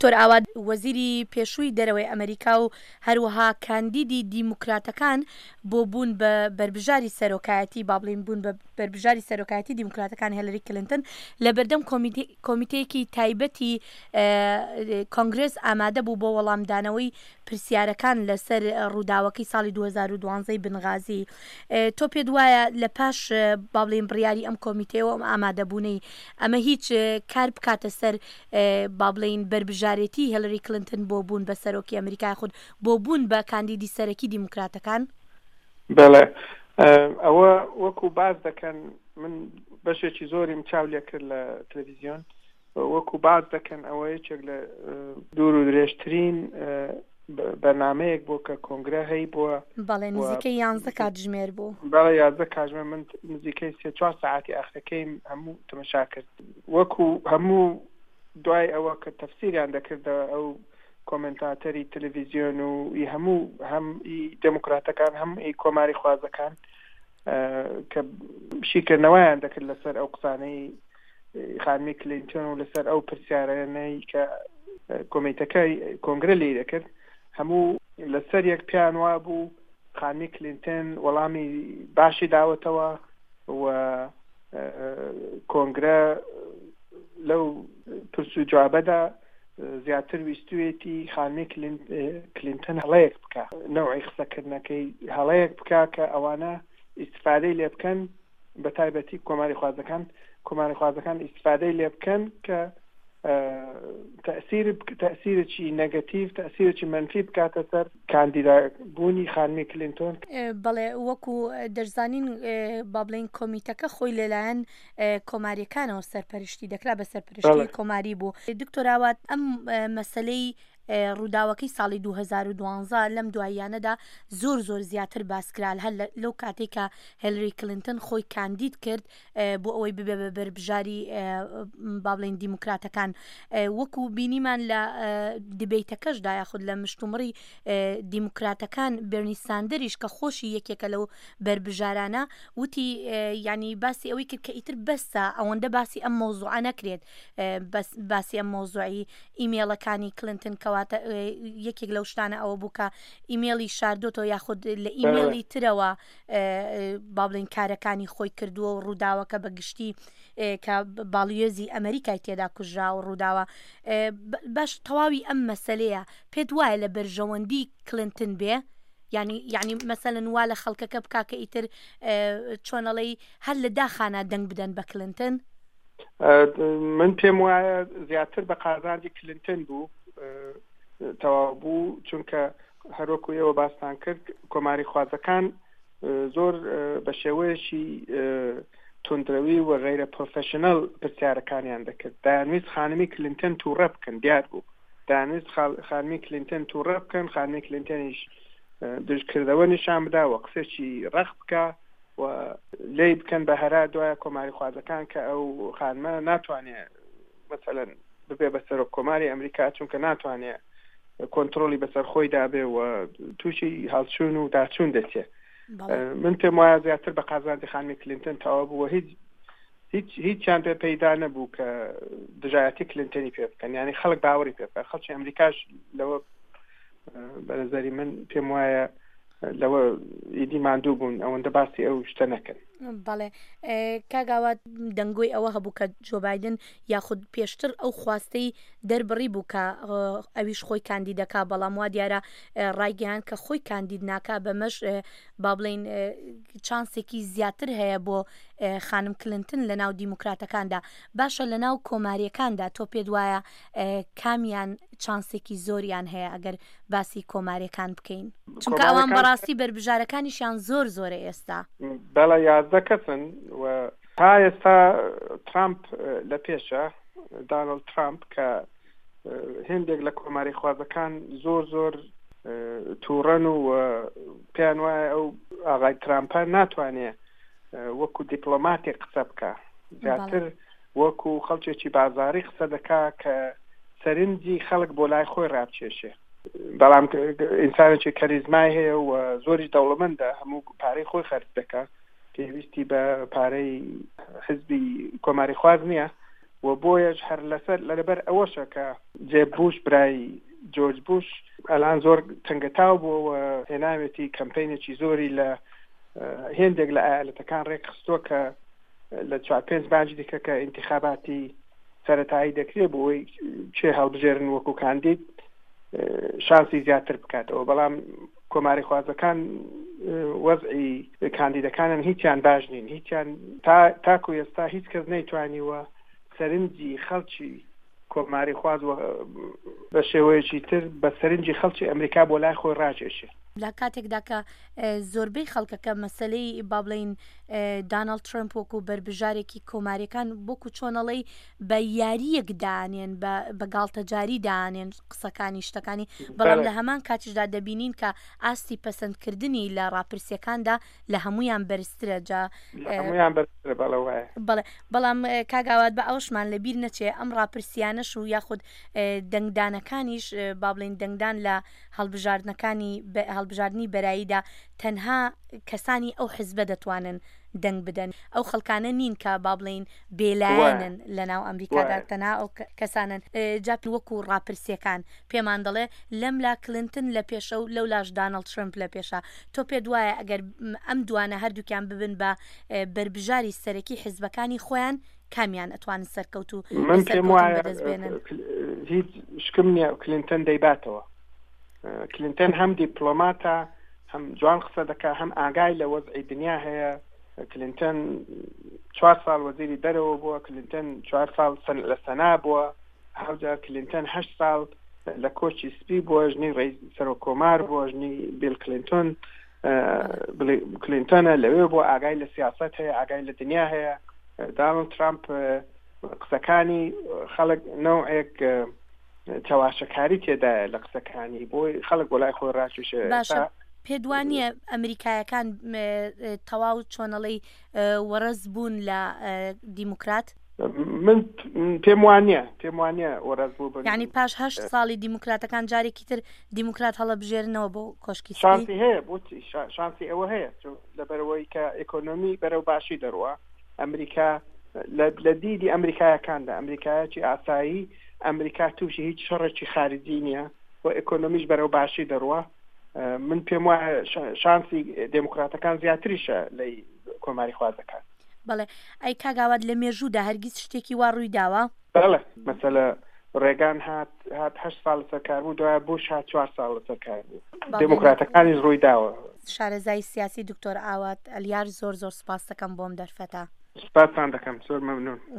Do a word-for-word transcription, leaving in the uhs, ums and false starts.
دکتۆر ئاوات، وەزیری پێشووی دەرەوەی ئەمەریکا و هەروەها کاندیدی دیموکراتەکان بۆ بوون بە بەربژاری سەرۆکایەتی، با بڵێین بوون بە بەربژاری سەرۆکایەتی دیموکراتەکان هێلری کلینتن لە بەردەم کۆمیتەیەکی تایبەتی کۆنگرێس ئامادە بوو بۆ وەڵامدانەوەی پرسیارەکان لەسەر ڕووداوەکەی ساڵی دوو هەزار و دوازدە بنغازی. تۆ پێت وایە لە پاش با بڵێین بڕیاری ئەم کۆمیتەیەوە ئەم ئامادەبوونەی ئەمە هیچ کار بکاتە سەر با بڵێین بەربژارێتی هێلری کلینتن بۆ بوون بە سەرۆکی ئەمریکا یاخود بۆ بوون بە کاندیدی سەرەکی دیموکراتەکان؟ بەڵێ، ئەوە وەکو باس دەکەن، من بەشێکی زۆریم چاو لێکرد لە تەلەڤیزیۆن، وەکو باس دەکەن ئەوە یەکێک لە دوور و درێژترین بەرنمەیەک بوو کە کۆنگرە هەی بووە. بەڵێ، نزیکەی یانزە کاتژمێر بوو. بەڵێ، یازدە کاتژمێر. من نزیکەی سێ چوار سەعاتی ئاخرەکەیم هەموو تەمەشا کرد. وەکو هەموو دوای ئەوە کە تەفسیریان دەکردە ئەو کۆمنتاتەری تەلەڤیزیۆن و ئی هەموو هەم ئی دێموکراتەکان هەم ئی کۆماری خوازەکان کە شیکردنەوەیان دەکرد لەسەر ئەو قسانەی خانمی کلینتۆن و لەسەر ئەو پرسیارانەی کە کۆمیتەکەی کۆنگرە لێی دەکرد، هەموو لەسەر یەک پیان وابوو خانمی کلینتۆن وەڵامی باشی داوەتەوە و کۆنگرە لەو پرس و جوابەدا زیاتر ویستوێتی خانمی کلینتۆن هەڵەیەک بکە، نەوعی قسەکردنەکەی هەڵەیەک بکە کە ئەوانە ئیسفادەی لێ بکەن، بە تایبەتی کۆماری خوازەکان کۆماری خوازەکان ئیسفادەی لێ بکەن کە تەئسیر تەئسیرێکی نەگەتیڤ، تەئسیرێکی مەنفی بکاتە سەر کاندیدا بوونی خانمی کلینتۆن. بەڵێ، وەکو دەشزانین با بڵێین کۆمیتەکە خۆی لەلایەن کۆماریەکانەوە سەرپەرشتی دەکرا، بە سەرپەرشتی کۆماری بوو. دکتۆر ئاوات، ئەم مەسەلەی ڕووداوەکەی ساڵی دوو هەزار و دوازدە لەم دواییانەدا زۆر زۆر زیاتر باسکرا، هەر لەو کاتێک کە هێلری کلینتن خۆی کاندید کرد بۆ ئەوەی ببێ بە بەربژاری با بڵێین دیموکراتەکان، وەکو بینیمان لە دیبەیتەکەشدا یاخود لە مشتومڕی دیموکراتەکان بێرنی ساندەریش کە خۆشی یەکێکە لەو بەربژارانە وتی، ینی باسی ئەوەی کرد کە ئیتر بەسە ئەوەندە باسی ئەم مەوزوعە نەکرێت، بەس باسی ئەم مەوزوعی ئیمێڵەکانی کلینتن کەواتە یەکێک لەو شتانە ئەوە بوو کە ئیمێڵی شاردۆتەوە یاخود لە ئیمێڵی ترەوە با بڵێین کارەکانی خۆی کردووە و ڕووداوەکە بە گشتی کە باڵیۆزی ئەمریکای تێدا کوژرا و ڕووداوە. باش، تەواوی ئەم مەسلەیە پێت وایە لە بەرژەوەندی کلینتن بێ؟ یعنی یعنی مەسەلەن وا لە خەڵکەکە بکا کە ئیتر چۆنەڵێی هەر لە داخانە دەنگ بدەن بە کلینتن؟ من پێم وایە زیاتر بە قازانجی کلینتن بوو تەواو بوو، چونکە هەروەکو ئێوە باستان کرد کۆماری خوازەکان زۆر بە شێوەیەکی توندرەوی و غەیرە پرۆفشنەل پرسیارەکانیان دەکرد. دەیانویست خانمی کلینتن تووڕە بکەن، دیار بوو دەیانویست خانمی کلینتن تووڕە بکەن، خانمی کلینتنیش دژکردەوە نیشان بدا و قسێکی ڕەق بکە و لێی بکەن بە هەرا. دوایە کۆماری خوازەکان کە ئەو خانمە ناتوانێت مەسەلەن ببێ بە سەرۆک کۆماری ئەمریکا، چونکە ناتوانێت کۆنترۆلی بەسەر خۆی دابێ و تووشی هەڵچوون و داچوون دەچێت. من پێم وایە زیاتر بە قازانجی خانمی کلینتن تەواو بوو، هیچ هیچ هیچیان پێ پەیدا نەبوو کە دژایەتی کلینتنی پێ بکەن، یعنی خەڵک باوەڕی پێ بکەن. خەڵکی ئەمریکاش لەوە بە نظری من پێم وایە لەوە ئیدی ماندوو بوون ئەوەندە باسی ئەو شتە نەکەن. بەڵێ کاگاوات، دەنگۆی ئەوە هەبوو کە جۆ بایدن یاخود پێشتر ئەو خواستەی دەربڕی بوو کە ئەویش خۆی کاندیدەکا، بەڵام وا دیارە ڕایگەیان کە خۆی کاندید ناکا، بەمەش با بڵین چانسێکی زیاتر هەیە بۆ خانم کلینتن لە ناو دیموکراتەکاندا. باشە، لە ناو کۆماریەکاندا تۆ پێت وایە کامیان چانسێکی زۆریان هەیە ئەگەر باسی کۆماریەکان بکەین؟ چونکە ئەوان بەڕاستی بەربژارەکانیشیان زۆر زۆرە ئێستا. بەڵێ، یازدە کەسن و تا ئێستا ترامپ لە پێشە، دانڵد ترامپ، کە هێندێک لە کۆماری خوازەکان زۆر زۆر تووڕەن و پێیان وایە ئەو ئاغای ترامپە ناتوانێت وەکو دیپلۆماتێک قسە بکە، زیاتر وەکو خەڵکێکی بازاری قسە دەکا کە سەرنجی خەڵک بۆ لای خۆی ڕابچێشێ. بەڵام ئینسانێکی کەریزمای هەیە و زۆریش دەوڵەمەندە، هەموو پارەی خۆی خەرج دەکا، پێویستی بە پارەی حزبی کۆماری خواز نییە. و بۆیەش هەر لەسەر لەبەر ئەوەشە کە جێب بوش برای جۆرج بوش ئەلان زۆر تەنگەتاو بووە و هێناوێتی کەمپینێکی زۆری لە هێندێک لە ئایالەتەکان ڕێکخستووە کە لە چوار پێنج باجی دیکە کە ئینتخاباتی سەتایی دەکرێت بۆ ئەوەی چێ هەڵبژێرن وەکو کاندید شانسی زیاتر بکاتەوە. بەڵام کۆماری خوازەکان وەزعی کاندیدەکانن هیچیان باش نین، هیچیان تا تاکو ئێستا هیچ کەس نەیتوانیوە سەرنجی خەڵکی کۆماری خواز بە شێوەیەکی تر بە سەرنجی خەڵکی ئەمریکا بۆ لای خۆی ڕاکێشێ. لە کاتێکدا کە زۆربەی خەڵکەکە مەسلەی با بڵین داناڵد ترەمپ وەکو بەربژارێکی کۆماریەکان وەکو چۆنەڵی بە یاریەک دانێن بە گاڵتەجاری دانێن قسەکانی شتەکانی، بەڵام لە هەمان کاتیشدا دەبینین کە ئاستی پەسەندکردنی لە ڕاپرسیەکاندا لە هەمویان بەرزترە. جا هەمویان بەرزترە، بەڵێ وایە. بەڵێ، بەڵام کاک ئاوات بە ئەوشمان لەبیر نەچێ ئەم ڕاپرسیانەش و یاخود دەنگدانەکانیش با بڵین دەنگدان لە هەڵبژاردنەکانی هەڵبژاردنی بەراییدا تەنها کەسانی ئەو حزبە دەتوانن دەنگ بدەن، ئەو خەڵکانە نین کە با بڵین بێلایەنن لە ناو ئەمریکادا، تەنها ئەو کەسانن. جا وەکو ڕاپرسیەکان پێمان دەڵێ لەم لا کلینتن لە پێشە و لەو لاش داناڵد ترەمپ لە پێشە. تۆ پێت وایە ئەگەر ئەم دوانە هەردووکیان ببن بە بەربژاری سەرەکی حزبەکانی خۆیان کامیان ئەتوانن سەرکەوت و من پێم وایە هیچ شکم نییە کلینتن دەیباتەوە. کلینتن هەم دیپلۆماتە، هەم جوان قسە دەکا، هەم ئاگای لە وەزعی دنیا هەیە. کلینتن چوار ساڵ وەزیری دەرەوە بووە، کلینتن چوار ساڵ لە سەنا بووە، هەوجا کلینتن هەشت ساڵ لە کۆچی سپی بووە، ژنی سەرۆک کۆمار بووە، ژنی بیل کلینتۆن کلینتۆنە لەوێ بووە، ئاگای لە سیاست هەیە، ئاگای لە دنیا هەیە. داناڵد ترامپ قسەکانی خەڵک نەوعێک چەواشەکاری تێدایە لە قسەکانی، بۆی خەڵک بۆ لای خۆی ڕاکێشێ. باشە، پێدوانیە ئەمریکایەکان تەواو چۆنەڵی وەڕز بوون لە دیموکرات؟ من پێم وانییە، پێم وانییە وەڕز بوو بن. یعنی پاش هەشت ساڵی دیموکراتەکان جارێکی تر دیموکرات هەڵەبژێرنەوە بۆ کۆشکی سپی؟ شانسی هەیە، بۆچی شانسی ئەوە هەیە، لەبەرەوەی کە ئێکۆنۆمی بەرەو باشی دەڕوا. ئەمریکا لە دیدی ئەمریکایەکاندا، ئەمریکایەکی ئاسایی، ئەمریکا تووشی هیچ شەڕێکی خارجی نییە و ئێکۆنۆمیش بەرەو باشی دەڕوا. من پێم وایە شانسی دێموکراتەکان زیاتریشە لە کۆماری خوازەکان. بەڵێ، ئەی کاک ئاوات لە مێژوودا هەرگیز شتێکی وا ڕووی داوە؟ بەڵێ، مەسەلە ڕێگان هات هات هەشت ساڵ لەسەر کار بوو، دوای بوش هات چوار ساڵ لەسەر کار بوو. دێموکراتەکانیش ڕووی داوە. شارەزای سیاسی دکتۆر ئاوات ئەلیار، زۆر زۆر سپاس دەکەم بۆم دەرفەتە. سپاستان دەکەم، زۆر مەمنون.